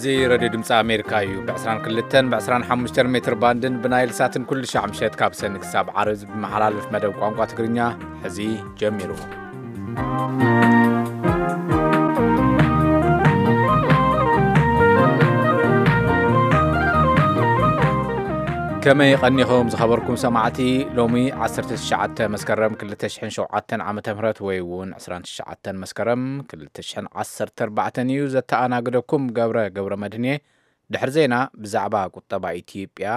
እዚ ሬድዮ ድምፂ ኣሜሪካ እዩ። ብ22 ብ25 ሜትር ባንድን ብናይል ሳትን ኩሉ ሻዕ ምሸት ካብ ሰኒ ክሳብ ዓርብ ብመሓላለፍ መደብ ቋንቋ ትግርኛ ሕዚ ጀሚሩ። ከመይ ቀኒኹም ዝኸበርኩም ሰማዕቲ? ሎሚ 19 መስከረም 2007 ዓመተ ምህረት ወይ እውን 29 መስከረም 2014 እዩ። ዘተኣናግደኩም ገብረ ገብረ መድህን እየ። ድሕሪ ዜና ብዛዕባ ቁጠባ ኢትዮጵያ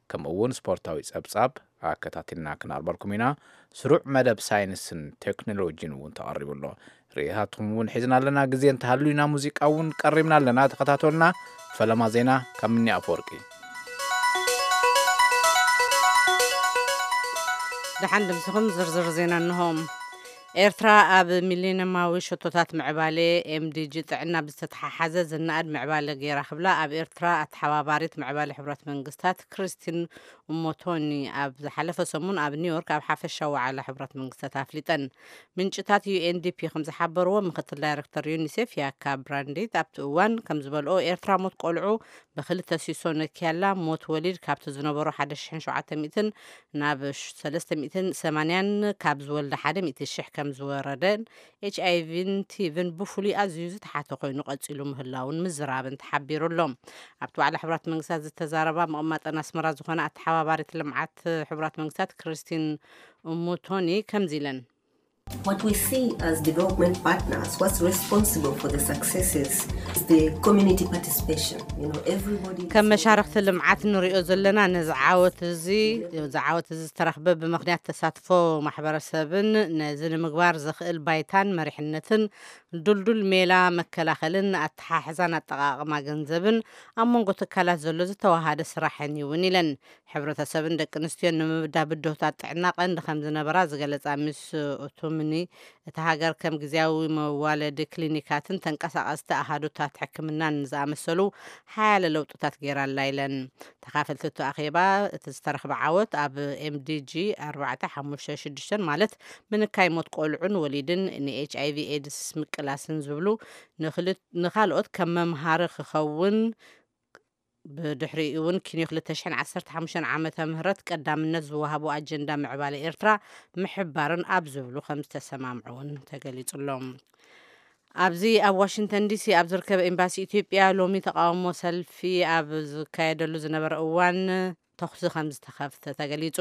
ከምኡ እውን ስፖርታዊ ጸብጻብ ኣከታቲልና ክናርበልኩም ኢና። ስሩዕ መደብ ሳይንስን ቴክኖሎጂን እውን ተቐሪቡ ኣሎ። ርእይታትኩም እውን ሒዝና ኣለና። ግዜ እንተሃልዩና ሙዚቃ እውን ቀሪብና ኣለና። ተኸታተሉና። ፈለማ ዜና ካብ ምኒ ኣፈወርቂ። ደሓን ድምስኹም። ዝርዝር ዜና እንሆ። ኤርትራ ኣብ ሚሊኒየማዊ ሸቶታት ምዕባለ፣ ኤምዲጂ፣ ጥዕና ብዝተተሓሓዘ ዝነኣድ ምዕባለ ገይራ ክብላ ኣብ ኤርትራ ኣተሓባባሪት ምዕባለ ሕቡራት መንግስታት ክሪስቲን ኡሞቶኒ ኣብ ዝሓለፈ ሰሙን ኣብ ኒውዮርክ ኣብ ሓፈሻዊ ዋዕላ ሕቡራት መንግስታት ኣፍሊጠን። ምንጭታት ዩኤንዲፒ ከም ዝሓበርዎ፣ ምክትል ዳይሬክተር ዩኒሴፍ ያካ ብራንዲት ኣብቲ እዋን ከም ዝበልኦ፣ ኤርትራ ሞት ቆልዑ ብክልተ ሲሶ ነኪያላ። ሞት ወሊድ ካብቲ ዝነበሮ 1,700 ናብ 380ን ካብ ዝወልዳ 100,000 ከም ዝወረደን ኤች ኣይ ቪን ቲቪን ብፍሉይ ኣዝዩ ዝተሓተ ኮይኑ ቀጺሉ ምህላውን ምዝራብን ተሓቢሩ ኣሎ። ኣብቲ ዋዕላ ሕቡራት መንግስታት ዝተዛረባ ምቕማጠን ኣስመራ ዝኾነ ኣተሓባባሪት ልምዓት ሕቡራት መንግስታት ክሪስቲን ሙቶኒ ከምዚ ኢለን። What we see as development partners, what's responsible for the successes is the community participation. You know, everybody ከም መሻርክቲ ልምዓት ንሪኦ ዘለና ነዚ ዓወት እዚ፣ እዚ ዓወት እዚ ዝተረኽበ ብምኽንያት ተሳትፎ ማሕበረሰብን ነዚ ንምግባር ዘኽእል ባይታን መሪሕነትን ድልዱል ሜላ መከላኸልን ኣተሓሕዛን ኣጠቓቕማ ገንዘብን ኣብ መንጎ ትካላት ዘሎ ዝተዋሃደ ስራሕን እውን ኢለን። ሕብረተሰብን ደቂ ኣንስትዮን ንምብዳ ብድሆታት ጥዕና ቀንዲ ከም ዝነበራ ዝገለጻ ሚስ ኡቱምኒ፣ እታ ሃገር ከም ግዝያዊ መዋለዲ ክሊኒካትን ተንቀሳቐስቲ ኣሃዱታት ሕክምናን ዝኣመሰሉ ሓያለ ለውጥታት ገይራላ ኢለን። ተኻፈልቲ እቲ ኣኼባ፣ እቲ ዝተረኽበ ዓወት ኣብ ኤምዲጂ 456፣ ማለት ምንካይ ሞት ቆልዑን ወሊድን፣ ንኤች ኣይ ቪ ኤድስ ምቅላስን ዝብሉ ንክል-፣ ንኻልኦት ከም መምሃሪ ክኸውን፣ ብድሕሪኡ እውን ኪንዮ 2015 ዓመተ ምህረት ቀዳምነት ዝወሃቦ ኣጀንዳ ምዕባለ ኤርትራ ምሕባርን ኣብ ዝብሉ ከም ዝተሰማምዑ እውን ተገሊጹሎም። ኣብዚ ኣብ ዋሽንግተን ዲሲ ኣብ ዝርከብ ኤምባሲ ኢትዮጵያ ሎሚ ተቃውሞ ሰልፊ ኣብ ዝካየደሉ ዝነበረ እዋን ተኹሲ ከም ዝተኸፍተ ተገሊጹ።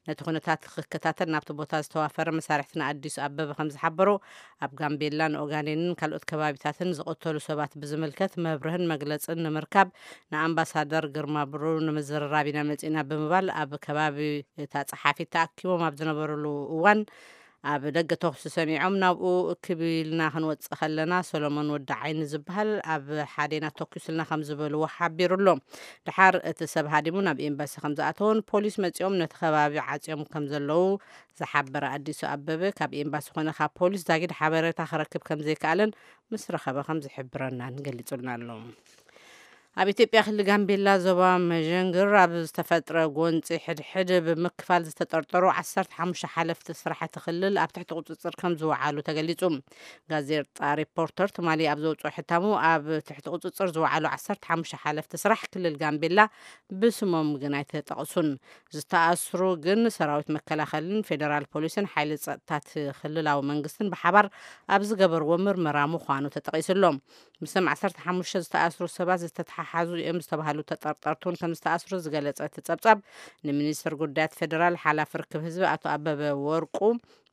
ነቲ ኩነታት ክከታተል ናብቲ ቦታ ዝተዋፈረ መሳርሕትና ኣዲሱ ኣበበ ከም ዝሓበሮ፣ ኣብ ጋምቤላን ኦጋዴንን ካልኦት ከባቢታትን ዝቐተሉ ሰባት ብዝምልከት መብርህን መግለጽን ንምርካብ ንኣምባሳደር ግርማ ብሩ ንምዝርራብ ኢና መጺእና ብምባል ኣብ ከባቢ እታ ጸሓፊት ተኣኪቦም ኣብ ዝነበሩሉ እዋን ኣብ ደገ ተኹሲ ሰሚዖም ናብኡ እክብ ኢልና ክንወጽእ ከለና ሰሎሞን ወዲ ዓይኒ ዝበሃል ኣብ ሓዴና ተኩስልና ከም ዝበልዎ ሓቢሩ ኣሎ። ድሓር እቲ ሰብ ሃዲሙ ናብ ኤምባሲ ከም ዝኣተወን ፖሊስ መጺኦም ነቲ ከባቢ ዓጽዮም ከም ዘለዉ ዝሓበረ ኣዲሱ ኣበበ፣ ካብ ኤምባሲ ኮነ ካብ ፖሊስ ዛጊድ ሓበሬታ ክረክብ ከም ዘይከኣለን ምስ ረኸበ ከም ዝሕብረናን ገሊጹልና ኣሎ። ኣብ ኢትዮጵያ ክልል ጋምቤላ ዞባ መዠንግር ኣብ ዝተፈጥረ ጎንፂ ሕድሕድ ብምክፋል ዝተጠርጠሩ 15 ሓለፍቲ ስራሕቲ ክልል ኣብ ትሕቲ ቁፅፅር ከም ዝወዓሉ ተገሊፁ። ጋዜጣ ሪፖርተር ትማሊ ኣብ ዘውፅኦ ሕታሙ፣ ኣብ ትሕቲ ቁፅፅር ዝወዓሉ 15 ሓለፍቲ ስራሕ ክልል ጋምቤላ ብስሞም ግን ኣይተጠቕሱን። ዝተኣስሩ ግን ሰራዊት መከላኸልን ፌደራል ፖሊስን ሓይሊ ጸጥታት ክልላዊ መንግስትን ብሓባር ኣብ ዝገበርዎ ምርመራ ምዃኑ ተጠቒሱ ኣሎ። ምስቶም 15 ዝተኣስሩ ሰባት ዝተተሓሓዙ እዮም ዝተባህሉ ተጠርጠርቲ እውን ከም ዝተኣስሩ ዝገለጸ እቲ ጸብጻብ፣ ንሚኒስትር ጉዳያት ፌደራል ሓላፊ ርክብ ህዝቢ ኣቶ ኣበበ ወርቁ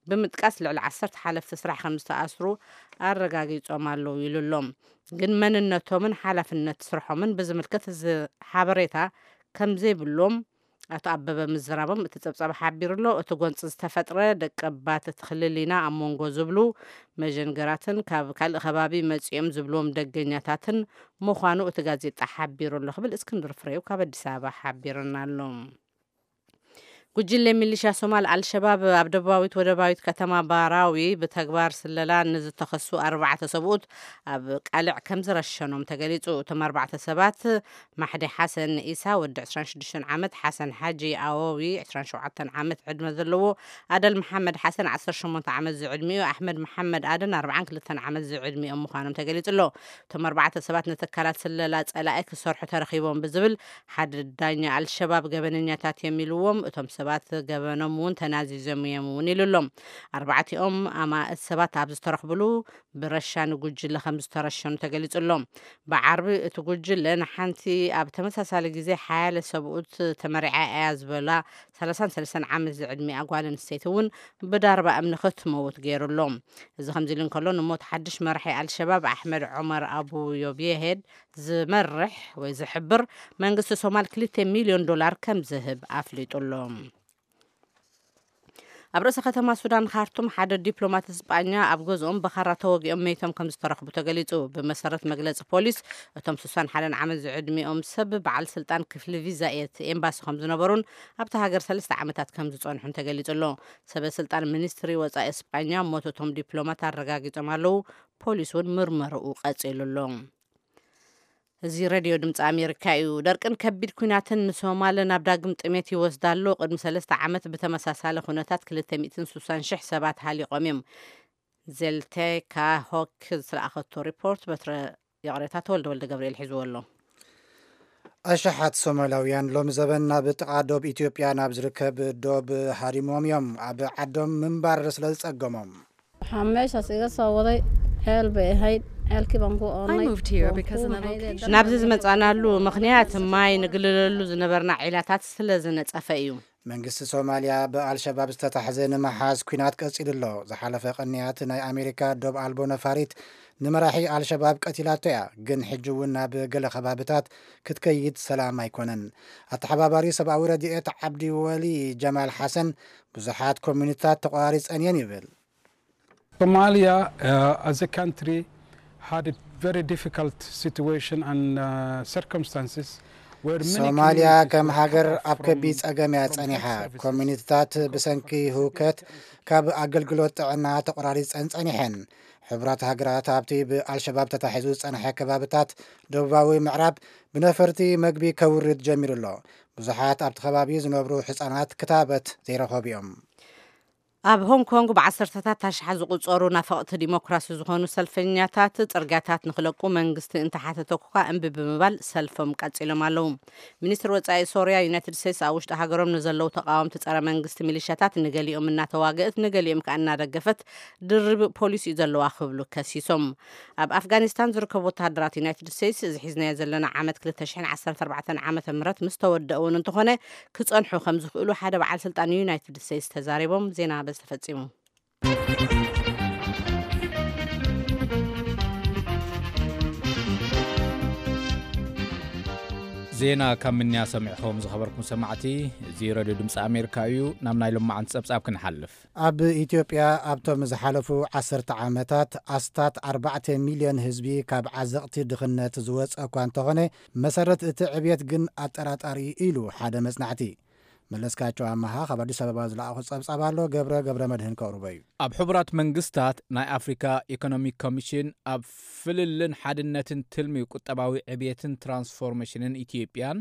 ብምጥቃስ፣ ልዕሊ 10 ሓለፍቲ ስራሕ ከም ዝተኣስሩ ኣረጋጊጾም ኣለዉ ኢሉ ኣሎ። ግን መንነቶምን ሓላፍነት ስርሖምን ብዝምልከት እዚ ሓበሬታ ከም ዘይብሎም ኣቶ ኣበበ ምዝራቦም እቲ ጸብጻብ ሓቢሩ ኣሎ። እቲ ጎንፂ ዝተፈጥረ ደቀባት እቲ ክልል ኢና ኣብ መንጎ ዝብሉ መጀንገራትን ካብ ካልእ ከባቢ መጺኦም ዝብልዎም ደገኛታትን ምዃኑ እቲ ጋዜጣ ሓቢሩ ኣሎ ክብል እስክንድር ፍሬው ካብ ኣዲስ ኣበባ ሓቢሩና ኣሎ። ጉጅለ ሚሊሻ ሶማል ኣልሸባብ ኣብ ደቡባዊት ወደባዊት ከተማ ባራዊ ብተግባር ስለላ ንዝተኸሱ ኣርባዕተ ሰብኡት ኣብ ቃልዕ ከም ዝረሸኖም ተገሊጹ። እቶም ኣርባዕተ ሰባት ማሕዲ ሓሰን ኢሳ ወዲ ዕስራን ሽዱሽተን ዓመት፣ ሓሰን ሓጂ ኣወዊ ዕስራን ሸውዓተን ዓመት ዕድመ ዘለዎ፣ ኣደል መሓመድ ሓሰን ዓሰርተ ሸሞንተ ዓመት ዝዕድሚኡ፣ ኣሕመድ መሓመድ ኣደን ኣርባዓን ክልተን ዓመት ዝዕድሚኦም ምዃኖም ተገሊጹ ኣሎ። እቶም ኣርባዕተ ሰባት ንትካላት ስለላ ጸላኢ ክሰርሑ ተረኺቦም ብዝብል ሓደ ዳኛ ኣልሸባብ ገበነኛታት እዮም ኢልዎም። እቶም ሰባት ገበኖም እውን ተናዚዞም እዮም እውን ኢሉ ኣሎ። ኣርባዕቲኦም ኣማእት ሰባት ኣብ ዝተረኽብሉ ብረሻ ንጉጅለ ከም ዝተረሸኑ ተገሊጹ ኣሎ። ብዓርቢ እቲ ጉጅለ ንሓንቲ ኣብ ተመሳሳሊ ግዜ ሓያለ ሰብኡት ተመሪዓ እያ ዝበላ ሰላሳን ሰለስተን ዓመት ዝዕድሚኣ ጓል ኣንስተይቲ እውን ብዳርባ እምኒ ክትመውት ገይሩ ኣሎ። እዚ ከምዚ ኢሉ እንከሎ፣ ንሞት ሓድሽ መራሒ ኣልሸባብ ኣሕመድ ዑመር ኣቡ ዮብየሄድ ዝመርሕ ወይ ዝሕብር መንግስቲ ሶማል ክልተ ሚልዮን ዶላር ከም ዝህብ ኣፍሊጡ ኣሎ። ኣብ ርእሰ ከተማ ሱዳን ካርቱም ሓደ ዲፕሎማት እስጳኛ ኣብ ገዝኦም ብኻራ ተወጊኦም መይቶም ከም ዝተረኽቡ ተገሊጹ። ብመሰረት መግለጺ ፖሊስ፣ እቶም ስሳን ሓደን ዓመት ዝዕድሚኦም ሰብ በዓል ስልጣን ክፍሊ ቪዛ ኤት ኤምባሲ ከም ዝነበሩን ኣብታ ሃገር ሰለስተ ዓመታት ከም ዝጸንሑን ተገሊጹ ኣሎ። ሰበ ስልጣን ሚኒስትሪ ወጻኢ እስጳኛ ሞት እቶም ዲፕሎማት ኣረጋጊጾም ኣለዉ። ፖሊስ እውን ምርመርኡ ቀጺሉ ኣሎ። እዚ ሬድዮ ድምፂ ኣሜሪካ እዩ። ደርቅን ከቢድ ኲናትን ንሶማል ናብ ዳግም ጥሜት ይወስዳ ኣሎ። ቅድሚ ሰለስተ ዓመት ብተመሳሳሊ ኩነታት ክልተ ሚእትን ስሳን ሽሕ ሰባት ሃሊቖም እዮም። ዜልቴካ ሆክ ዝለኣኸቶ ሪፖርት በትረ ይቕሬታ ተወልደ ወልደ ገብርኤል ሒዝዎ ኣሎ። ኣሽሓት ሶማላውያን ሎሚ ዘበን ናብ ጥቓ ዶብ ኢትዮጵያ ናብ ዝርከብ ዶብ ሃዲሞም እዮም፣ ኣብ ዓዶም ምንባር ስለ ዝጸገሞም። Waxaa meeshaas iga soo waday ceel bay ahayd, ceelkii baan ku I oonnay. Moved here Waan because ku in the nahay location dad ናብዚ ዝመጻናሉ ምኽንያት ማይ ንግልለሉ ዝነበርና ዒላታት ስለ ዝነጸፈ እዩ። መንግስቲ ሶማልያ ብኣልሸባብ ዝተታሕዘ ንምሓዝ ኲናት ቀጺሉ ኣሎ። ዝሓለፈ ቅንያት ናይ ኣሜሪካ ዶብ ኣልቦ ነፋሪት ንመራሒ ኣልሸባብ ቀቲላቶ እያ፣ ግን ሕጂ እውን ናብ ገለ ከባብታት ክትከይድ ሰላም ኣይኮነን። ኣተሓባባሪ ሰብኣዊ ረድኤት ዓብዲ ወሊ ጀማል ሓሰን ብዙሓት ኮሚኒታት ተቋሪጸን እየን ይብል። Somalia, uh, as a country, had a very difficult situation and uh, circumstances where many ሶማልያ communities ከም were ሃገር cut off ኣብ ከቢድ from, ጸገም እያ from ጸኒሓ። health services. ኮሚኒቲታት ብሰንኪ ህውከት ካብ ኣገልግሎት ጥዕና ተቆራሪጸን ጸኒሐን። ሕቡራት ሃገራት ኣብቲ ብኣልሸባብ ተታሒዙ ዝጸንሐ ከባብታት ደቡባዊ ምዕራብ ብነፈርቲ መግቢ ከውርድ ጀሚሩ ኣሎ። ብዙሓት ኣብቲ ከባቢ ዝነብሩ ህጻናት ክታበት ዘይረኸቡ እዮም። ኣብ ሆንግ ኮንግ ብዓሰርተታት ኣሽሓት ዝቑጸሩ ናፈቕቲ ዲሞክራሲ ዝኾኑ ሰልፈኛታት ጽርግያታት ንኽለቁ መንግስቲ እንተሓተተ እኳ እምቢ ብምባል ሰልፎም ቀጺሎም ኣለዉ። ሚኒስትር ወጻኢ ሶርያ ዩናይትድ ስቴትስ ኣብ ውሽጢ ሃገሮም ንዘለዉ ተቓወምቲ ጸረ መንግስቲ ሚሊሻታት ንገሊኦም እናተዋግእት ንገሊኦም ከኣ እናደገፈት ድርብ ፖሊሲ እዩ ዘለዋ ክብሉ ከሲሶም። ኣብ ኣፍጋኒስታን ዝርከቡ ወተሃደራት ዩናይትድ ስቴትስ እዚ ሒዝናዮ ዘለና ዓመት ክልተ ሽሕን ዓሰርተ ኣርባዕተን ዓመተ ምህረት ምስ ተወደእ እውን እንተኾነ ክጸንሑ ከም ዝኽእሉ ሓደ በዓል ስልጣን ዩናይትድ ስቴትስ ተዛሪቦም። ዜና በዚ ተፈጺሙ። ዜና ካብ ምንያ ሰሚዕኹም ዝኸበርኩም ሰማዕቲ፣ እዚ ረድዮ ድምፂ ኣሜሪካ እዩ። ናብ ናይ ሎማዓንቲ ጸብጻብ ክንሓልፍ። ኣብ ኢትዮጵያ ኣብቶም ዝሓለፉ ዓሰርተ ዓመታት ኣስታት ኣርባዕተ ሚልዮን ህዝቢ ካብ ዓዘቕቲ ድኽነት ዝወፀ እኳ እንተኾነ፣ መሰረት እቲ ዕብየት ግን ኣጠራጣሪ እዩ ኢሉ ሓደ መጽናዕቲ። መለስካቸው ኣመሃ ካብ ኣዲስ ኣበባ ዝለኣኹ ጸብጻብ ኣሎ፣ ገብረ ገብረ መድህን ከቕርቦ እዩ። ኣብ ሕቡራት መንግስታት ናይ ኣፍሪካ ኢኮኖሚክ ኮሚሽን ኣብ ፍልልን ሓድነትን ትልሚ ቁጠባዊ ዕብየትን ትራንስፎርሜሽንን ኢትዮጵያን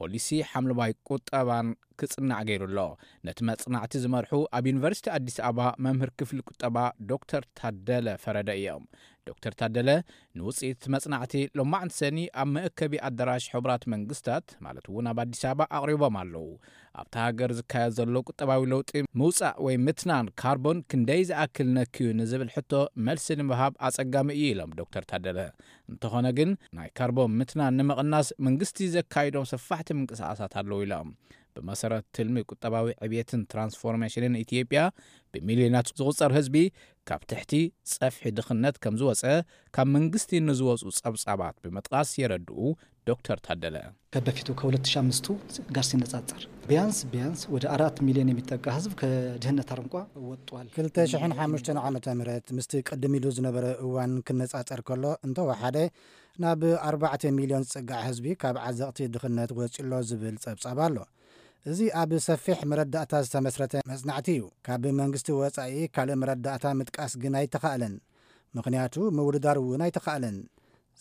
ፖሊሲ ሓምለዋይ ቁጠባን ክጽናዕ ገይሩ ኣሎ። ነቲ መጽናዕቲ ዝመርሑ ኣብ ዩኒቨርሲቲ ኣዲስ ኣበባ መምህር ክፍሊ ቁጠባ ዶክተር ታደለ ፈረደ እዮም። ዶክተር ታደለ ንውጽኢት መጽናዕቲ ሎማዕንቲ ሰኒ ኣብ መእከቢ ኣዳራሽ ሕቡራት መንግስታት ማለት እውን ኣብ ኣዲስ ኣበባ ኣቕሪቦም ኣለዉ። ኣብታ ሃገር ዝካየድ ዘሎ ቁጠባዊ ለውጢ ምውጻእ ወይ ምትናን ካርቦን ክንደይ ዝኣክል ነክዩ ንዝብል ሕቶ መልሲ ንምሃብ ኣጸጋሚ እዩ ኢሎም ዶክተር ታደለ። እንተኾነ ግን ናይ ካርቦን ምትናን ንምቕናስ መንግስቲ ዘካይዶም ሰፋሕቲ ምንቅስቓሳት ኣለዉ ኢሎም። ብመሰረት ትልሚ ቁጠባዊ ዕብየትን ትራንስፎርሜሽንን ኢትዮጵያ ብሚልዮናት ዝቑጸር ህዝቢ ካብ ትሕቲ ጸፍሒ ድኽነት ከም ዝወጸ ካብ መንግስቲ ንዝወጹ ጸብጻባት ብምጥቓስ የረድኡ ዶክተር ታደለ። ከበፊቱ ከ ሁለት ሺህ አምስቱ ጋር ሲነጻጸር ቢያንስ ቢያንስ ወደ አራት ሚሊዮን የሚጠጋ ህዝብ ከድህነት አረንቋ ወጥቷል። ክልተ ሽሕን ሓሙሽተን ዓመተ ምህረት ምስቲ ቅድም ኢሉ ዝነበረ እዋን ክነጻጸር ከሎ እንተወሓደ ናብ ኣርባዕተ ሚልዮን ዝጽጋዕ ህዝቢ ካብ ዓዘቕቲ ድኽነት ወጺሎ ዝብል ጸብጻብ ኣሎ። እዚ ኣብ ሰፊሕ መረዳእታ ዝተመስረተ መጽናዕቲ እዩ። ካብ መንግስቲ ወጻኢ ካልእ መረዳእታ ምጥቃስ ግን ኣይተኻእለን። ምኽንያቱ ምውድዳር እውን ኣይተኻእለን።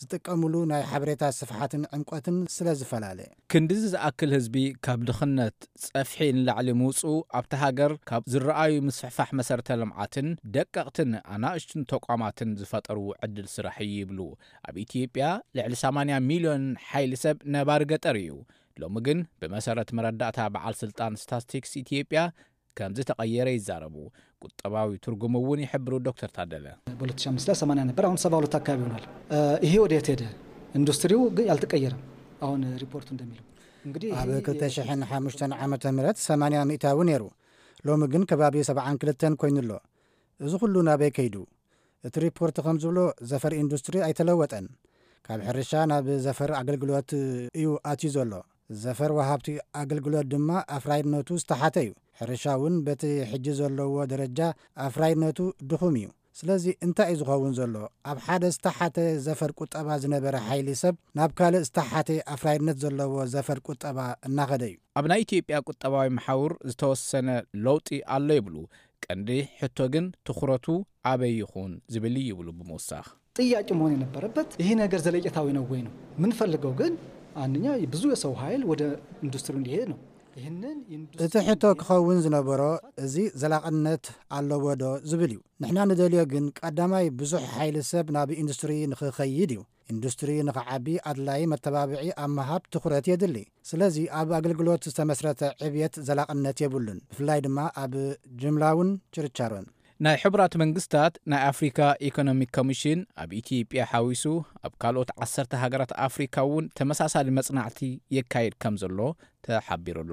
ዝጥቀሙሉ ናይ ሓበሬታ ስፍሓትን ዕምቆትን ስለ ዝፈላለ። ክንድዚ ዝኣክል ህዝቢ ካብ ድኽነት ጸፍሒ ንላዕሊ ምውጽኡ ኣብታ ሃገር ካብ ዝረኣዩ ምስፍሕፋሕ መሰረተ ልምዓትን ደቀቕትን ኣናእሽቱን ተቋማትን ዝፈጠርዎ ዕድል ስራሕ እዩ ይብሉ። ኣብ ኢትዮጵያ ልዕሊ ሰማንያ ሚልዮን ሓይሊ ሰብ ነባሪ ገጠር እዩ። ሎሚ ግን ብመሰረት መረዳእታ በዓል ስልጣን ስታትስቲክስ ኢትዮጵያ ከም ዝተቐየረ ይዛረቡ። ቁጠባዊ ትርጉም እውን ይሕብሩ ዶክተር ታደለ። በ2005 ላይ ሰማንያ ነበር፣ አሁን ሰባ ሁለት አካባቢ ሆኗል። ይሄ ወዴት ሄደ? ኢንዱስትሪው ግን አልተቀየረም። አሁን ሪፖርቱ እንደሚለው እንግዲህ ኣብ ክልተ ሽሕን ሓሙሽተን ዓመተ ምህረት ሰማንያ ሚእታዊ ነይሩ። ሎሚ ግን ከባቢ ሰብዓን ክልተን ኮይኑ ኣሎ። እዚ ኩሉ ናበይ ከይዱ? እቲ ሪፖርት ከም ዝብሎ ዘፈር ኢንዱስትሪ ኣይተለወጠን። ካብ ሕርሻ ናብ ዘፈር ኣገልግሎት እዩ ኣትዩ ዘሎ። ዘፈር ወሃብቲ ኣገልግሎት ድማ ኣፍራይነቱ ዝተሓተ እዩ። ሕርሻ እውን በቲ ሕጂ ዘለዎ ደረጃ ኣፍራይነቱ ድኹም እዩ። ስለዚ እንታይ እዩ ዝኸውን ዘሎ? ኣብ ሓደ ዝተሓተ ዘፈር ቁጠባ ዝነበረ ሓይሊ ሰብ ናብ ካልእ ዝተሓተ ኣፍራይነት ዘለዎ ዘፈር ቁጠባ እናኸደ እዩ። ኣብ ናይ ኢትዮጵያ ቁጠባዊ መሓውር ዝተወሰነ ለውጢ ኣሎ ይብሉ። ቀንዲ ሕቶ ግን ትኹረቱ ኣበይ ይኹን ዝብል እዩ ይብሉ ብምውሳኽ። ጥያቄ መሆን የነበረበት ይሄ ነገር ዘለቄታዊ ነው ወይ ነው የምንፈልገው። ግን አንደኛ ብዙ የሰው ኃይል ወደ ኢንዱስትሪ እንዲሄድ ነው። ይህንን እቲ ሕቶ ክኸውን ዝነበሮ እዚ ዘላቕነት ኣለዎ ዶ ዝብል እዩ። ንሕና ንደልዮ ግን ቀዳማይ ብዙሕ ሓይሊ ሰብ ናብ ኢንዱስትሪ ንኽኸይድ እዩ። ኢንዱስትሪ ንኽዓቢ ኣድላዪ መተባብዒ ኣብ ምሃብ ትኹረት የድሊ። ስለዚ ኣብ ኣገልግሎት ዝተመስረተ ዕብየት ዘላቕነት የብሉን፣ ብፍላይ ድማ ኣብ ጅምላውን ችርቻሮን። ናይ ሕቡራት መንግስታት ናይ ኣፍሪካ ኢኮኖሚክ ኮሚሽን ኣብ ኢትዮጵያ ሓዊሱ ኣብ ካልኦት ዓሰርተ ሃገራት ኣፍሪካ እውን ተመሳሳሊ መጽናዕቲ የካይድ ከም ዘሎ ተሓቢሩ ኣሎ።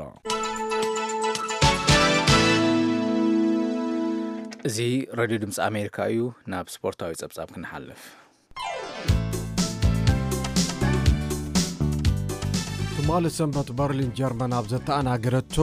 እዚ ሬድዮ ድምፂ ኣሜሪካ እዩ። ናብ ስፖርታዊ ጸብጻብ ክንሓልፍ። ትማሊ ሰንበት በርሊን ጀርመን ኣብ ዘተኣናገረቶ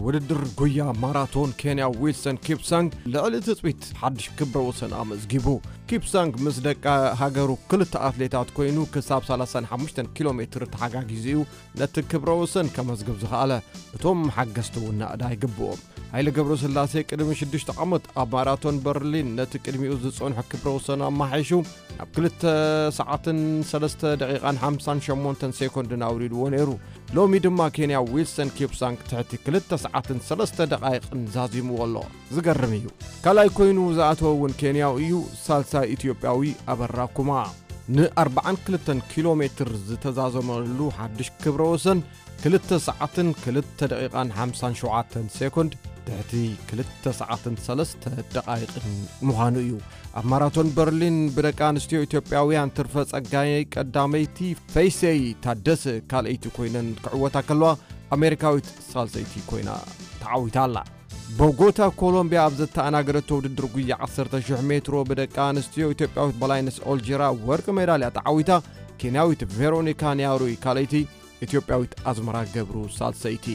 ውድድር ጉያ ማራቶን ኬንያ ዊልሰን ኪፕሳንግ ልዕሊ ትጽቢት ሓድሽ ክብረ ወሰን ኣመዝጊቡ። ኪፕሳንግ ምስ ደቂ ሃገሩ ክልተ ኣትሌታት ኮይኑ ክሳብ ሰላሳን ሓሙሽተን ኪሎ ሜትር ተሓጋጊዙ እዩ ነቲ ክብረ ወሰን ከመዝግብ ዝኸኣለ። እቶም ሓገዝቲ እውን ናእዳ ይግብኦም። ሃይለ ገብረስላሴ ቅድሚ ሽዱሽተ ዓመት ኣብ ማራቶን በርሊን ነቲ ቅድሚኡ ዝጸንሖ ክብረ ወሰን ኣማሓይሹ ናብ ክልተ ሰዓትን ሰለስተ ደቂቓን ሓምሳን ሸሞንተን ሴኮንድን ኣውሪድዎ ነይሩ። ሎሚ ድማ ኬንያ ዊልሰን ኪፕሳንግ ትሕቲ ክልተ ሰዓትን ሰለስተ ደቓይቕን ዛዚምዎ ኣሎ። ዝገርም እዩ። ካልኣይ ኮይኑ ዝኣተወ እውን ኬንያዊ እዩ፣ ሳልሳይ ኢትዮጵያዊ ኣበራ ኩማ። ን ኣርባዓን ክልተን ኪሎ ሜትር ዝተዛዘመሉ ሓድሽ ክብረ ወሰን ክልተ ሰዓትን ክልተ ደቂቓን ሓምሳን ሸውዓተን ሴኮንድ ትሕቲ ክልተ ሰዓትን ሰለስተ ደቓይቕን ምዃኑ እዩ። ኣብ ማራቶን በርሊን ብደቂ ኣንስትዮ ኢትዮጵያውያን ትርፈ ጸጋይ ቀዳመይቲ፣ ፈይሰይ ታደሰ ካልኣይቲ ኮይነን ክዕወታ ከለዋ ኣሜሪካዊት ሳልሰይቲ ኮይና ተዓዊታ ኣላ። ቦጎታ ኮሎምቢያ ኣብ ዘተኣናገደቶ ውድድር ጉያ ዓሰርተ ሽሕ ሜትሮ ብደቂ ኣንስትዮ ኢትዮጵያዊት በላይነሽ ኦልጂራ ወርቂ ሜዳልያ ተዓዊታ፣ ኬንያዊት ቬሮኒካ ኒያሩይ ካልኣይቲ፣ ኢትዮጵያዊት ኣዝመራ ገብሩ ሳልሰይቲ።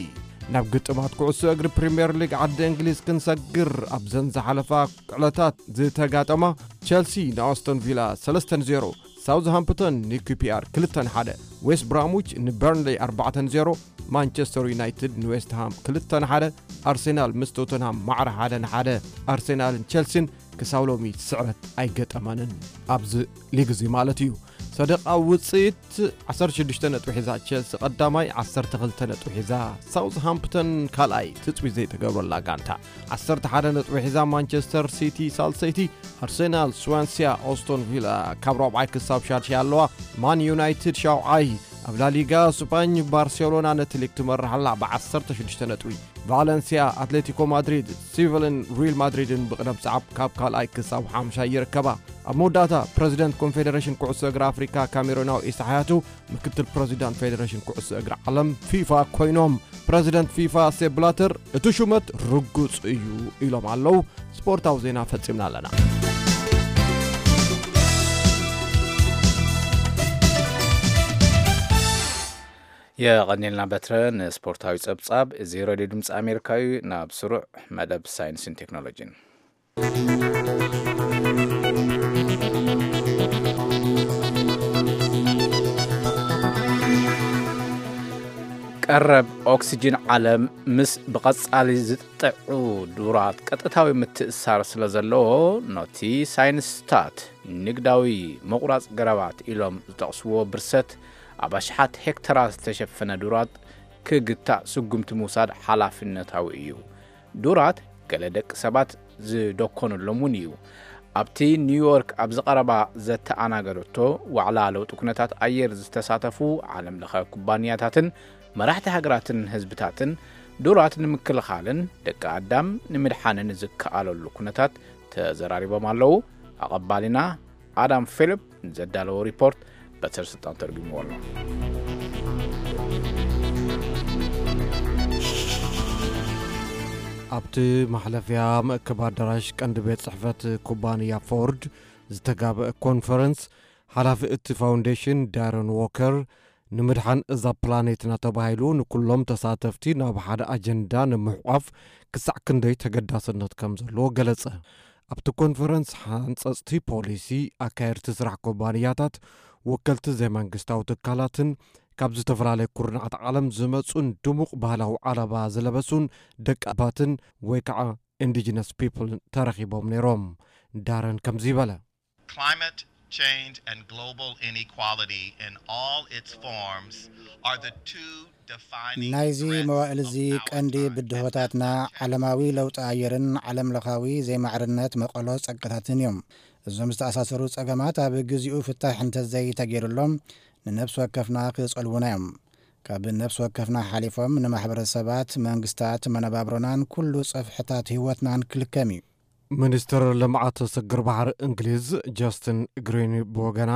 ናብ ግጥማት ኩዕሶ እግሪ ፕሪምየር ሊግ ዓዲ እንግሊዝ ክንሰግር ኣብዘን ዝሓለፋ ዕለታት ዝተጋጠማ ቸልሲ ንኣስቶን ቪላ ሰለስተ ንዜሮ፣ ሳውዝሃምፕተን ንኪፒኣር ክልተ ንሓደ፣ ዌስት ብራምዊች ንበርንሌይ ኣርባዕተ ንዜሮ፣ ማንቸስተር ዩናይትድ ንዌስትሃም ክልተ ንሓደ፣ ኣርሴናል ምስ ቶተንሃም ማዕረ ሓደ ንሓደ፣ ኣርሴናልን ቸልሲን ክሳብ ሎሚ ስዕረት ኣይገጠመንን። ኣብዚ ሊግ እዚ ማለት እዩ። ሰደቓ ውፅኢት ዓሰርተ ሽዱሽተ ነጥቢ ሒዛ ቸልሲ ቀዳማይ፣ ዓሰርተ ክልተ ነጥቢ ሒዛ ሳውዝሃምፕተን ካልኣይ፣ ትፅቢት ዘይተገብረላ ጋንታ። ዓሰርተ ሓደ ነጥቢ ሒዛ ማንቸስተር ሲቲ ሳልሰይቲ፣ ኣርሴናል፣ ስዋንሲያ፣ ኦስቶን ቪላ ካብ ራብዓይ ክሳብ ሻድሻይ ኣለዋ። ማን ዩናይትድ ሻውዓይ። ኣብ ላሊጋ ስፓኝ ባርሴሎና ነቲ ሊግ ትመርሕ ኣላ ብዓሰርተ ሽዱሽተ ነጥቢ። ቫለንሲያ፣ ኣትሌቲኮ ማድሪድ፣ ሲቪልን ሪል ማድሪድን ብቕደም ሰዓብ ካብ ካልኣይ ክሳብ ሓምሻይ ይርከባ። ኣብ መወዳእታ ፕረዚደንት ኮንፌደሬሽን ኩዕሶ እግሪ ኣፍሪካ ካሜሮናዊ ኢሳ ሓያቱ ምክትል ፕረዚዳንት ፌደሬሽን ኩዕሶ እግሪ ዓለም ፊፋ ኮይኖም፣ ፕረዚደንት ፊፋ ሴፕ ብላተር እቲ ሹመት ርጉጽ እዩ ኢሎም ኣለዉ። ስፖርታዊ ዜና ፈጺምና ኣለና። የቐኒልና በትረ ንስፖርታዊ ጸብጻብ። እዚ ሬድዮ ድምፂ ኣሜሪካ እዩ። ናብ ስሩዕ መደብ ሳይንስን ቴክኖሎጂን። ቀረብ ኦክስጅን ዓለም ምስ ብቐጻሊ ዝጥጥዑ ዱራት ቀጥታዊ ምትእሳር ስለ ዘለዎ፣ ነቲ ሳይንስታት ንግዳዊ ምቑራጽ ገረባት ኢሎም ዝጠቕስዎ ብርሰት ኣብ ኣሽሓት ሄክተራት ዝተሸፈነ ዱራት ክግታእ ስጉምቲ ምውሳድ ሓላፍነታዊ እዩ። ዱራት ገለ ደቂ ሰባት ዝደኮኑሎም እውን እዩ። ኣብቲ ኒውዮርክ ኣብ ዝቐረባ ዘተኣናገደቶ ዋዕላ ለውጢ ኩነታት ኣየር ዝተሳተፉ ዓለም ለኸ ኩባንያታትን መራሕቲ ሃገራትን ህዝብታትን ዱራት ንምክልኻልን ደቂ ኣዳም ንምድሓንን ዝከኣለሉ ኩነታት ተዘራሪቦም ኣለዉ። ኣቐባሊና ኣዳም ፊሊፕ ንዘዳለዎ ሪፖርት በትር ስልጣን ተርጉምዎ ኣሎ። ኣብቲ ማሕለፍያ መእከብ ኣዳራሽ ቀንዲ ቤት ጽሕፈት ኩባንያ ፎርድ ዝተጋበአ ኮንፈረንስ፣ ሓላፊ እቲ ፋውንዴሽን ዳረን ዎከር፣ ንምድሓን እዛ ፕላኔትና ተባሂሉ ንኩሎም ተሳተፍቲ ናብ ሓደ ኣጀንዳ ንምሕቋፍ ክሳዕ ክንደይ ተገዳስነት ከም ዘለዎ ገለጸ። ኣብቲ ኮንፈረንስ ሓንጸጽቲ ፖሊሲ፣ ኣካየድቲ ስራሕ ኩባንያታት፣ ወከልቲ ዘይመንግስታዊ ትካላትን ካብ ዝተፈላለየ ኩርናዓት ዓለም ዝመጹን ድሙቕ ባህላዊ ዓለባ ዝለበሱን ደቂ ኣባትን ወይ ከዓ ኢንዲጂነስ ፒፕል ተረኺቦም ነይሮም። ዳረን ከምዚ በለ። Climate change and global inequality in all its forms are the two defining ናይዚ threats መዋእል of እዚ our ቀንዲ time and ብድሆታትና future. ዓለማዊ ለውጢ ኣየርን ዓለም ለኻዊ ዘይማዕርነት መቐሎ ጸጋታትን እዮም። እዞም ዝተኣሳሰሩ ጸገማት ኣብ ግዚኡ ፍታሕ እንተዘይተገይሩሎም ንነፍሲ ወከፍና ክጸልዉና እዮም። ካብ ነፍሲ ወከፍና ሓሊፎም ንማሕበረሰባት፣ መንግስታት፣ መነባብሮናን ኩሉ ጽፍሕታት ህይወትናን ክልከም እዩ። ሚኒስትር ልምዓት ስግር ባሕሪ እንግሊዝ ጀስትን ግሪን ብወገና፣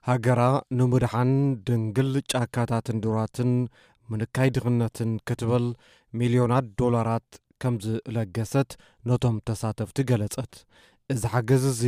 ሃገራ ንምድሓን ድንግል ጫካታትን ዱራትን ምንካይ ድኽነትን ክትብል ሚልዮናት ዶላራት ከም ዝለገሰት ነቶም ተሳተፍቲ ገለጸት። እዚ ሓገዝ እዚ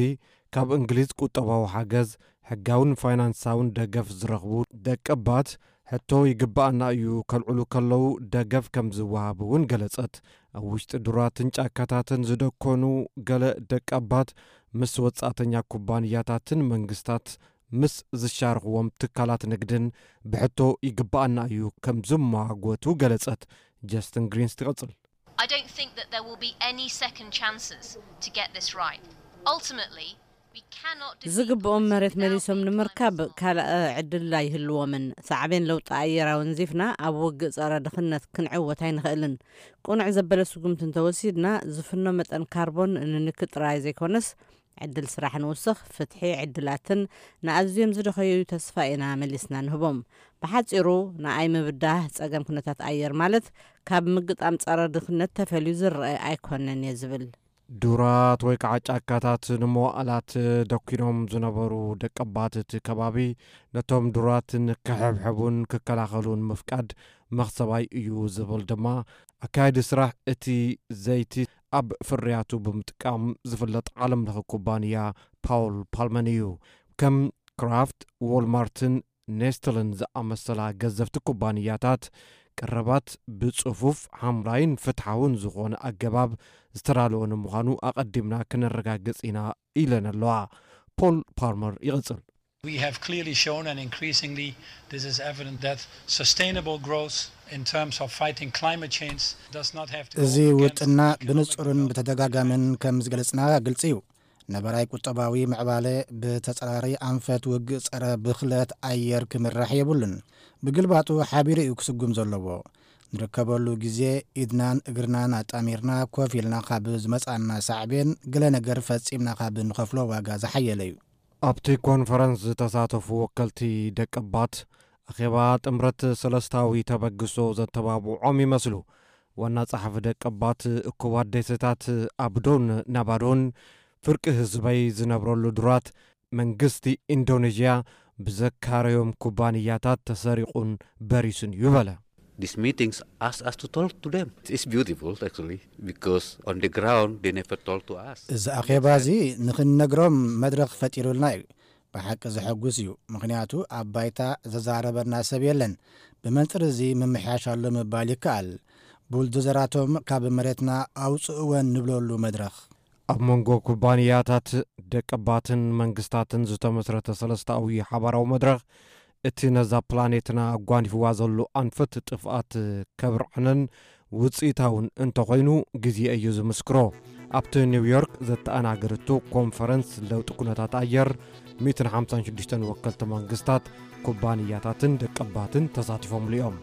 ካብ እንግሊዝ ቁጠባዊ ሓገዝ፣ ሕጋውን ፋይናንሳውን ደገፍ ዝረኽቡ ደቀባት ሕቶ ይግባኣና እዩ ከልዕሉ ከለዉ ደገፍ ከም ዝወሃብ እውን ገለጸት። ኣብ ውሽጢ ዱራትን ጫካታትን ዝደኮኑ ገለ ደቀባት ምስ ወጻእተኛ ኩባንያታትን መንግስታት ምስ ዝሻርኽዎም ትካላት ንግድን ብሕቶ ይግባኣና እዩ ከም ዝማጎቱ ገለጸት። ጀስትን ግሪንስ ትቐጽል። I don't think that there will be any second chances to get this right. Ultimately, we cannot defeat ዝግብኦም poverty መሬት without መሊሶም a ንምርካብ climate ካልእ ዕድል ኣይህልዎምን። ሳዕቤን ለውጢ ኣየር ኣወንዚፍና ኣብ ውግእ ጸረ ድኽነት ክንዕወት ኣይንኽእልን። ቅኑዕ ዘበለ ስጉምቲ እንተወሲድና፣ ዝፍኖ መጠን ካርቦን ንንኪ ጥራይ ዘይኮነስ፣ ዕድል ስራሕ ንውስኽ፣ ፍትሒ፣ ዕድላትን ንኣዝዮም ዝደኸዩ ተስፋ ኢና መሊስና ንህቦም። ብሓጺሩ፣ ንኣይ ምብዳህ ጸገም ኩነታት ኣየር ማለት ካብ ምግጣም ጸረ ድኽነት ተፈልዩ ዝረአ ኣይኮነን እየ ዝብል። ዱራት ወይ ከዓ ጫካታት ንመዋእላት ደኪኖም ዝነበሩ ደቀባት እቲ ከባቢ ነቶም ዱራት ንክሕብሕቡን ክከላኸሉን ምፍቃድ መኽሰባይ እዩ ዝብል ድማ ኣካያዲ ስራሕ እቲ ዘይቲ ኣብ ፍርያቱ ብምጥቃም ዝፍለጥ ዓለም ለኸ ኩባንያ ፓውል ፓልመን እዩ። ከም ክራፍት፣ ዎልማርትን ኔስትልን ዝኣመሰላ ገዘፍቲ ኩባንያታት ቀረባት ብጽፉፍ ሓምላይን ፍትሓውን ዝኾነ ኣገባብ ዝተዳለወ ንምዃኑ ኣቐዲምና ክነረጋግጽ ኢና ኢለን ኣለዋ። ፖል ፓልመር ይቕጽል። We have clearly shown, and increasingly this is evident, that sustainable growth in terms of fighting climate change does not have to እዚ go against ውጥና economic ብንጹርን growth. ብተደጋጋምን ከም ዝገለጽና ግልጺ እዩ። ነበራይ ቁጠባዊ ምዕባለ ብተጸራሪ ኣንፈት ውግእ ጸረ ብኽለት ኣየር ክምራሕ የብሉን። ብግልባጡ ሓቢሩ እዩ ክስጉም ዘለዎ። ንርከበሉ ግዜ ኢድናን እግርናን ኣጣሚርና ኮፍ ኢልና ካብ ዝመጻና ሳዕቤን ገለ ነገር ፈጺምና ካብ ንኸፍሎ ዋጋ ዝሓየለ እዩ። ኣብቲ ኮንፈረንስ ዝተሳተፉ ወከልቲ ደቀባት ኣኼባ ጥምረት ሰለስታዊ ተበግሶ ዘተባብዖም ይመስሉ። ዋና ጸሓፊ ደቀባት እኩባት ደሴታት ኣብዶን ናባዶን ፍርቂ ህዝበይ ዝነብረሉ ዱራት መንግስቲ ኢንዶኔዥያ ብዘካረዮም ኩባንያታት ተሰሪቑን በሪሱን እዩ በለ። These meetings ask us to talk to them. It's beautiful, actually, because on the ground they never talk to us. እዚ ኣኼባ እዚ ንኽንነግሮም መድረኽ ፈጢሩልና እዩ። ብሓቂ ዘሐጉስ እዩ፣ ምኽንያቱ ኣብ ባይታ ዘዛረበና ሰብ የለን። ብመንጽር እዚ ምምሕያሽ ኣሎ ምባል ይከኣል። ቡልዶዘራቶም ካብ መሬትና ኣውጽእወን ንብለሉ መድረኽ። ኣብ መንጎ ኩባንያታት ደቀባትን መንግስታትን ዝተመስረተ ሰለስታዊ ሓባራዊ መድረኽ እቲ ነዛ ፕላኔትና ኣጓኒፍዋ ዘሎ ኣንፈት ጥፍኣት ከብርዕነን ውጽኢታውን እንተኾይኑ ግዜ እዩ ዝምስክሮ። ኣብቲ ኒውዮርክ ዘተኣናገደቶ ኮንፈረንስ ለውጢ ኩነታት ኣየር፣ ሚእትን ሓምሳን ሽዱሽተን ወከልቲ መንግስታት፣ ኩባንያታትን ደቀባትን ተሳቲፎምሉ እዮም።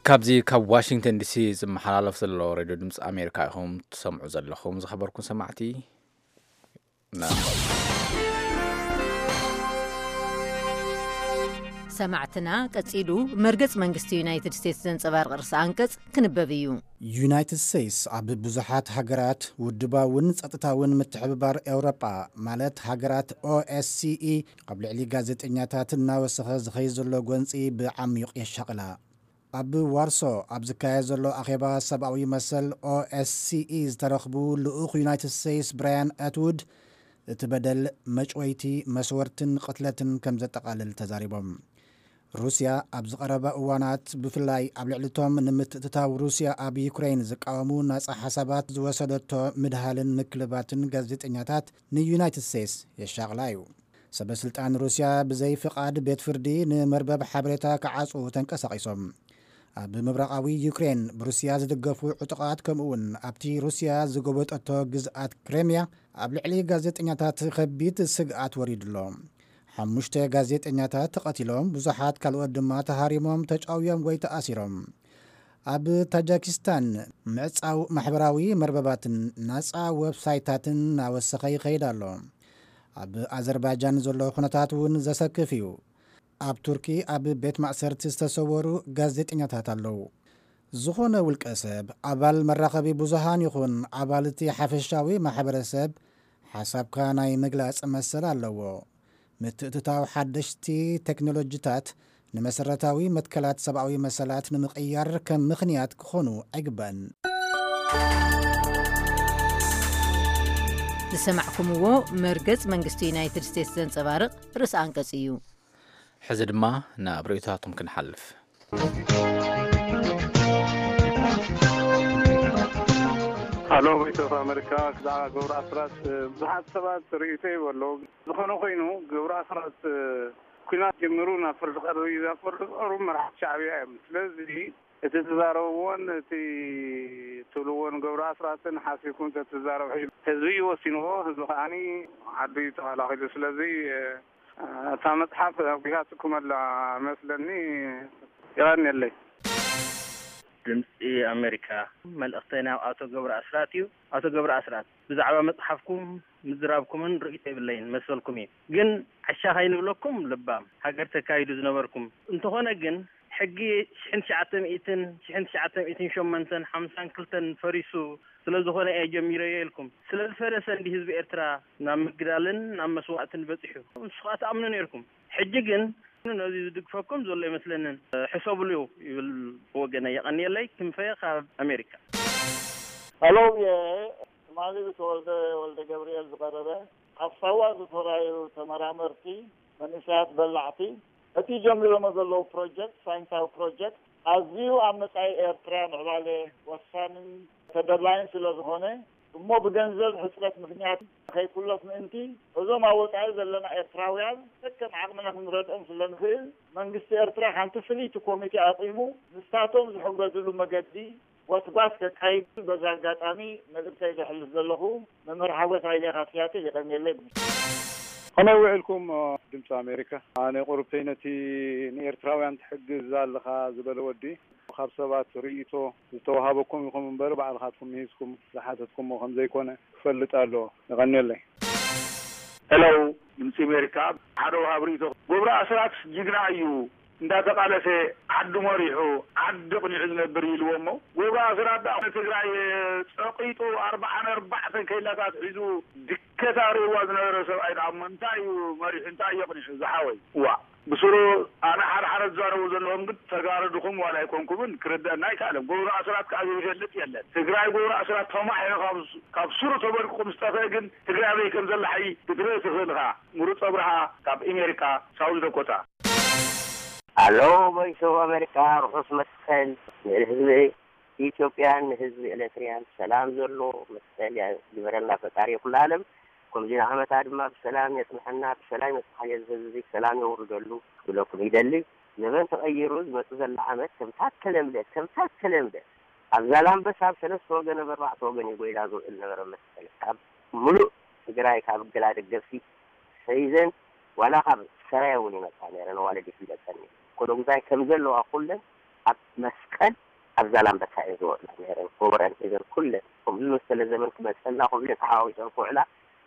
ካብዚ ካብ ዋሽንግተን ዲሲ ዝመሓላለፍ ዘሎ ሬድዮ ድምፂ ኣሜሪካ ኢኹም ትሰምዑ ዘለኹም። ዝኸበርኩም ሰማዕቲ፣ ሰማዕትና፣ ቀጺሉ መርገጽ መንግስቲ ዩናይትድ ስቴትስ ዘንጸባርቕ ርእሰ ኣንቀጽ ክንበብ እዩ። ዩናይትድ ስቴትስ ኣብ ብዙሓት ሃገራት ውድባውን ጸጥታውን ምትሕብባር ኤውሮጳ፣ ማለት ሃገራት ኦኤስሲኢ፣ ኣብ ልዕሊ ጋዜጠኛታት እናወሰኸ ዝኸይድ ዘሎ ጎንጺ ብዓሚቕ የሻቕላ። ኣብ ዋርሶ ኣብ ዝካየድ ዘሎ ኣኼባ ሰብኣዊ መሰል ኦኤስሲኢ ዝተረኽቡ ልኡኽ ዩናይትድ ስቴትስ ብራያን ኣትውድ፣ እቲ በደል መጭወይቲ፣ መስወርትን ቅትለትን ከም ዘጠቓልል ተዛሪቦም። ሩስያ ኣብዚ ቀረባ እዋናት ብፍላይ ኣብ ልዕሊቶም ንምትእትታው ሩስያ ኣብ ዩክሬን ዝቃወሙ ናጻ ሓሳባት ዝወሰደቶ ምድሃልን ምክልባትን ጋዜጠኛታት ንዩናይትድ ስቴትስ የሻቕላ እዩ። ሰበ ስልጣን ሩስያ ብዘይ ፍቓድ ቤት ፍርዲ ንመርበብ ሓበሬታ ክዓጽዉ ተንቀሳቒሶም። ኣብ ምብራቓዊ ዩክሬን ብሩስያ ዝድገፉ ዕጡቓት ከምኡውን ኣብቲ ሩስያ ዝጎበጠቶ ግዝኣት ክሬምያ ኣብ ልዕሊ ጋዜጠኛታት ከቢድ ስግኣት ወሪዱ ኣሎ። ሓሙሽተ ጋዜጠኛታት ተቐቲሎም፣ ብዙሓት ካልኦት ድማ ተሃሪሞም፣ ተጫውዮም ወይ ተኣሲሮም። ኣብ ታጃኪስታን ምዕጻው ማሕበራዊ መርበባትን ናጻ ዌብሳይታትን እናወሰኸ ይኸይድ ኣሎ። ኣብ ኣዘርባይጃን ዘሎ ኩነታት እውን ዘሰክፍ እዩ። ኣብ ቱርኪ ኣብ ቤት ማእሰርቲ ዝተሰወሩ ጋዜጠኛታት ኣለዉ። ዝኾነ ውልቀ ሰብ፣ ኣባል መራኸቢ ብዙሃን ይኹን ኣባል እቲ ሓፈሻዊ ማሕበረሰብ፣ ሓሳብካ ናይ ምግላጽ መሰል ኣለዎ። ምትእትታው ሓደሽቲ ቴክኖሎጂታት ንመሰረታዊ መትከላት ሰብኣዊ መሰላት ንምቕያር ከም ምኽንያት ክኾኑ ኣይግባእን። ዝሰማዕኩምዎ መርገጽ መንግስቲ ዩናይትድ ስቴትስ ዘንጸባርቕ ርእሰ ኣንቀጽ እዩ። ሕዚ ድማ ናብ ርእይቶታቶም ክንሓልፍ። ሃሎ፣ ቮይስ ኦፍ ኣሜሪካ፣ ብዛዕባ ገብሩ ኣስራት፣ እ፣ ብዙሓት ሰባት ርእይቶ ይህቡ ኣለዉ። ዝኾነ ኮይኑ፣ ገብሩ ኣስራት፣ እ፣ ኲናት ጀሚሩ ናብ ፍርዲ ቀርቡ እዩ። ናብ ፍርዲ ዝቐርቡ መራሕቲ ሻዕብያ እዮም። ስለዚ፣ እቲ ትዛረብዎን እቲ ትብልዎን ገብሩ ኣስራትን ሓሲብኩም ተትዛረቡ ሕጂ። ህዝቢ እዩ ወሲንዎ፣ ህዝቢ ከዓኒ ዓዱ እዩ ተኸላኺሉ። ስለዚ፣ እ፣ እታ መጽሓፍ ኣጒሃትኩም ኣላ መስለኒ። የቐንየለይ። ድምጺ ኣሜሪካ፣ መልእኽተይ ናብ ኣቶ ገብሩ ኣስራት እዩ። ኣቶ ገብሩ ኣስራት፣ ብዛዕባ መጽሓፍኩም ምዝራብኩምን ርእይቶ የብለይን፣ መሰልኩም እዩ። ግን ዓሻ ከይንብለኩም ልባም ሃገር ተካይዱ ዝነበርኩም። እንተኾነ ግን ሕጊ ሽሕን ትሽዓተ ሚእትን፣ ሽሕን ትሽዓተ ሚእትን ሸሞንተን ሓምሳን ክልተን ፈሪሱ ስለ ዝኾነ እየ ጀሚረዮ ኢልኩም። ስለ ዝፈረሰ እንዲ ህዝቢ ኤርትራ ናብ ምግዳልን ናብ መስዋእትን በጺሑ። ንሱ ኸኣ ትኣምኑ ነይርኩም። ሕጂ ግን ነዚ ዝድግፈኩም ዘሎ ኣይመስለንን። ሕሰብሉ ይብል ብወገነይ። የቐንየለይ። ክንፈ ካብ ኣሜሪካ። ሃሎ፣ የ-፣ ትማሊ ብተወልደ ወልደ ገብርኤል ዝቐረበ ኣብ ሳዋ ዝተራእዩ ተመራመርቲ፣ መንእሰያት በላዕቲ፣ እቲ ጀሚሮሞ ዘለዉ ፕሮጀክት፣ ሳይንሳዊ ፕሮጀክት፣ ኣዝዩ ኣብ መጻኢ ኤርትራ ምዕባለ ወሳንን ተደላይን ስለ ዝኾነ፣ እሞ ብገንዘብ ሕጽረት ምኽንያት ከይኩለፍ ምእንቲ፣ እዞም ኣብ ወጻኢ ዘለና ኤርትራውያን ከከም ዓቕምና ክንረድኦም ስለ ንኽእል፣ መንግስቲ ኤርትራ ሓንቲ ፍልይቲ ኮሚቴ ኣቂሙ፣ ንሳቶም ዝሕገዝሉ መገዲ ጎስጓስ ከካይድ በዚ ኣጋጣሚ መልእክተይ ዘሕልፍ ዘለኹ። መምህር ሓጎስ ሃይለ ካብ ሲያትል የቐንየለይ። ከመይ ውዒልኩም፣ ድምፂ ኣሜሪካ? ኣነ ቁሩብተይ ነቲ ንኤርትራውያን ትሕግዝ ኣለኻ ዝበለ ወዲ፣ ካብ ሰባት ርእይቶ ዝተዋሃበኩም ኢኹም እምበር፣ ባዕልኻትኩም ምሂዝኩም ዝሓተትኩሞ ከም ዘይኮነ ክፈልጥ ኣለዎ። የቐንየለይ። ሄሎ፣ ድምፂ ኣሜሪካ። ሓደ ወሃብ ርእይቶ፣ ገብሩ ኣስራት ጅግና እዩ፣ እንዳተቃለሰ ዓዱ መሪሑ፣ ዓዲ ቅኒዑ ዝነብር እዩ ኢልዎ። እሞ ገብሩ ኣስራት ደኣ ንትግራይ ጸቂጡ ኣርብዓን ኣርባዕተን ኬላታት ሒዙ ድከት ኣርእይዋ ዝነበረ ሰብኣይ ደኣ እሞ እንታይ እዩ መሪሑ፣ እንታይ እዩ ኣቕኒዑ ዝሓወይ? ዋእ፣ ብስሩ ኣነ ሓደ ሓደ ዝዛረቡ ዘለኹም ግን ተጋሩ ድኹም ዋላ ኣይኮንኩምን ክርደአና ኣይከኣለን። ገብሩ ኣስራት ከኣ ዘይፈልጥ የለን። ትግራይ ገብሩ ኣስራት ተማሒሩ ካብ፣ ካብ ስሩ ተበርቂቑ ምስ ጠፍአ ግን ትግራይ ኣበይ ከም ዘላ ሕጂ ክትርኢ ትኽእል ኢኻ። ምሩፅ ኣብርሃ ካብ ኣሜሪካ ሳውዝ ዳኮታ። ኣሎ ቮይስ ኦፍ ኣሜሪካ፣ ርሑስ መስቀል ንህዝቢ ኢትዮጵያን ንህዝቢ ኤሌትሪያን ሰላም ዘሎ መስቀል ያ-፣ ይግበረልና ፈጣሪ ኩሉ ዓለም። ከምዚ ንዓመታ ድማ ብሰላም የጽንሐና፣ ብሰላም የጽንሓ ህዝቢ፣ ሰላም የውርደሉ ክብለኩም ይደሊ። ዘበን ተቐይሩ ዝመጽእ ዘሎ ዓመት ከምታ ተለምደ፣ ከምታ ተለምደ ኣብ ዛላምበሳ ኣብ ሰለስተ ወገን ኣብ ኣርባዕተ ወገን እዩ ጎይላ ዝውዕል ነበረ መስቀል። ካብ ሙሉእ ትግራይ ካብ ገላ ደገፍቲ ሒዘን ዋላ ካብ ሰራየ እውን ይመጻ ነይረን፣ ኣዋልድ ይፍለጠኒ። ኮሎጉዛይ ከም ዘለዋ ኩለን ኣብ መስቀል ኣብ ዛላምበሳ እየን ዝውዕላ ነይረን። ጎቦረን ሒዘን ኩለን ከምዚ ዝመሰለ ዘመን ክመጸልና ክብለን ተሓዋዊሰን ክውዕላ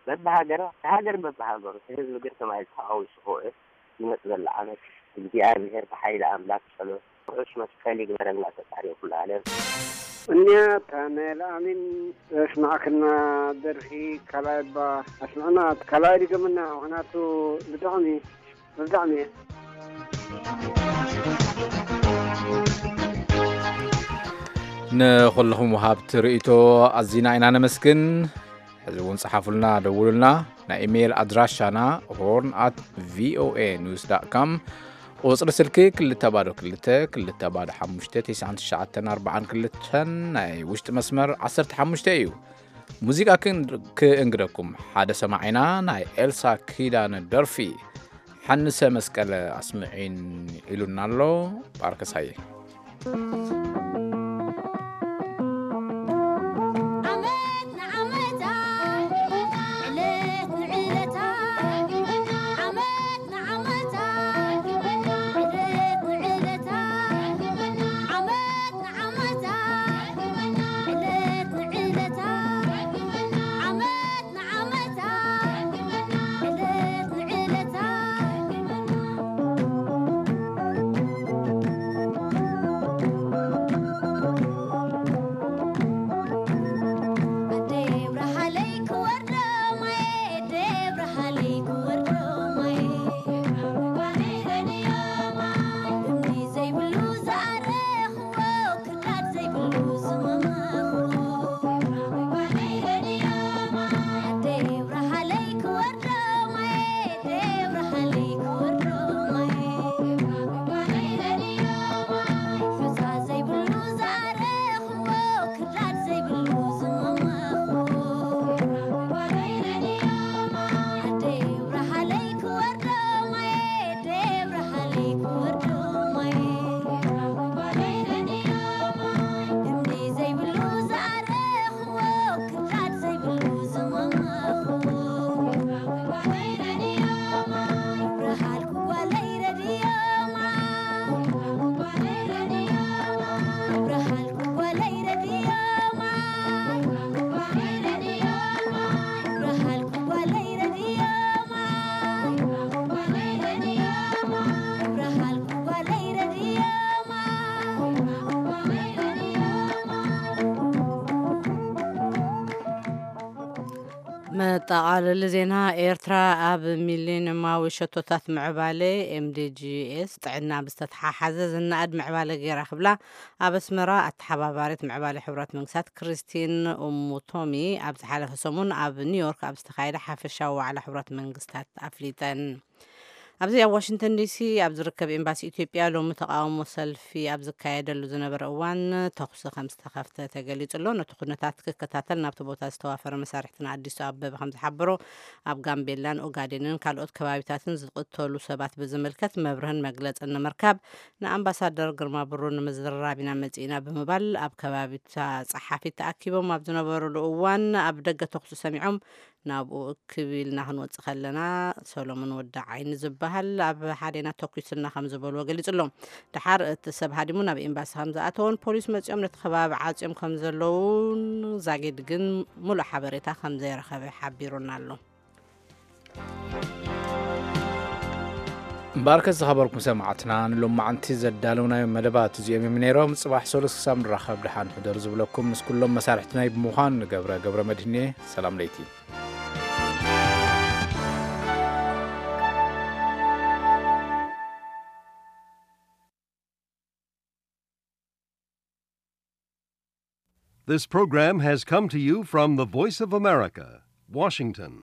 በብሃገራ፣ እቲ ሃገር በብሃገሩ፣ እቲ ህዝቢ ግን ተማሂዙ ተሓዋዊሱ ክውዕል ይመጽእ ዘሎ ዓመት እግዚኣብሔር ብሓይሊ ኣምላክ ጸሎት ርሑስ መስቀል ይግበረልና ፈጣሪ ኩሉ ዓለም። እኒያ ታነል ኣሚን ዘስማዕክና ደርፊ ካልኣይ እባ ኣስምዕና፣ ካልኣይ ድገምና፣ ምኽንያቱ ብጣዕሚ፣ ብጣዕሚ እየ። ንኹልኹም ወሃብቲ ርእይቶ ኣዚና ኢና ነመስግን። ሕዚ እውን ጸሓፉልና፣ ደውሉልና። ናይ ኢሜይል ኣድራሻና ሆርን ኣት ቪኦኤ ኒውስ ዳት ካም፣ ቁጽሪ ስልኪ ክልተ ባዶ ክልተ ክልተ ባዶ ሓሙሽተ ተስዓን ትሽዓተን ኣርባዓን ክልተን፣ ናይ ውሽጢ መስመር ዓሰርተ ሓሙሽተ እዩ። ሙዚቃ ክን-፣ ክእንግደኩም ሓደ ሰማዒና ናይ ኤልሳ ኪዳነ ደርፊ ሓንሰ መስቀለ ኣስምዒን ኢሉና ኣሎ። ባርከሳየ። ዓመት ንዓመታ፣ ዕለት ንዕለታ፣ ዓመት ንዓመታ፣ ዕለት ንዕለታ፣ ዓመት ንዓመታ፣ ዕለት ንዕለታ፣ ዓመት ንዓመታ፣ ዕለት ንዕለታ። መጠቓለሊ ዜና። ኤርትራ ኣብ ሚሊኒየማዊ ሸቶታት ምዕባለ ኤምዲጂኤስ ጥዕና ብዝተተሓሓዘ ዝነኣድ ምዕባለ ገይራ ክብላ ኣብ ኣስመራ ኣተሓባባሪት ምዕባለ ሕቡራት መንግስታት ክርስቲን ኡሙቶሚ ኣብ ዝሓለፈ ሰሙን ኣብ ኒውዮርክ ኣብ ዝተኻየደ ሓፈሻዊ ዋዕላ ሕቡራት መንግስታት ኣፍሊጠን። ኣብዚ ኣብ ዋሽንግተን ዲሲ ኣብ ዝርከብ ኤምባሲ ኢትዮጵያ ሎሚ ተቓውሞ ሰልፊ ኣብ ዝካየደሉ ዝነበረ እዋን ተኹሲ ከም ዝተኸፍተ ተገሊጹ ኣሎ። ነቲ ኩነታት ክከታተል ናብቲ ቦታ ዝተዋፈረ መሳርሕትና ኣዲሱ ኣበበ ከም ዝሓበሮ ኣብ ጋምቤላን ኦጋዴንን ካልኦት ከባቢታትን ዝቕተሉ ሰባት ብዝምልከት መብርህን መግለጽን ንምርካብ ንኣምባሳደር ግርማ ብሩ ንምዝርራብ ኢና መጺእና ብምባል ኣብ ከባቢታ ጸሓፊት ተኣኪቦም ኣብ ዝነበሩሉ እዋን ኣብ ደገ ተኹሲ ሰሚዖም ናብኡ እክብ ኢልና ክንወጽእ ከለና ሰሎሞን ወዲ ዓይኒ ዝበሃል ኣብ ሓዴና ተኩሱልና ከም ዝበልዎ ገሊጹ ኣሎ። ደሓር እቲ ሰብ ሃዲሙ ናብ ኤምባሲ ከም ዝኣተወን ፖሊስ መጺኦም ነቲ ከባቢ ዓጽዮም ከም ዘለውን ዛጊድ ግን ሙሉእ ሓበሬታ ከም ዘይረኸበ ሓቢሩና ኣሎ። እምበኣርከስ ዝኸበርኩም ሰማዕትና ንሎማዓንቲ ዘዳለውናዮ መደባት እዚኦም እዮም ነይሮም። ጽባሕ ሰሉስ ክሳብ ንራኸብ ደሓን ሕደሩ ዝብለኩም ምስ ኩሎም መሳርሕትናይ ብምዃን ንገብረ ገብረ መድህኔ ሰላም ለይቲ። This program has come to you from the Voice of America, Washington.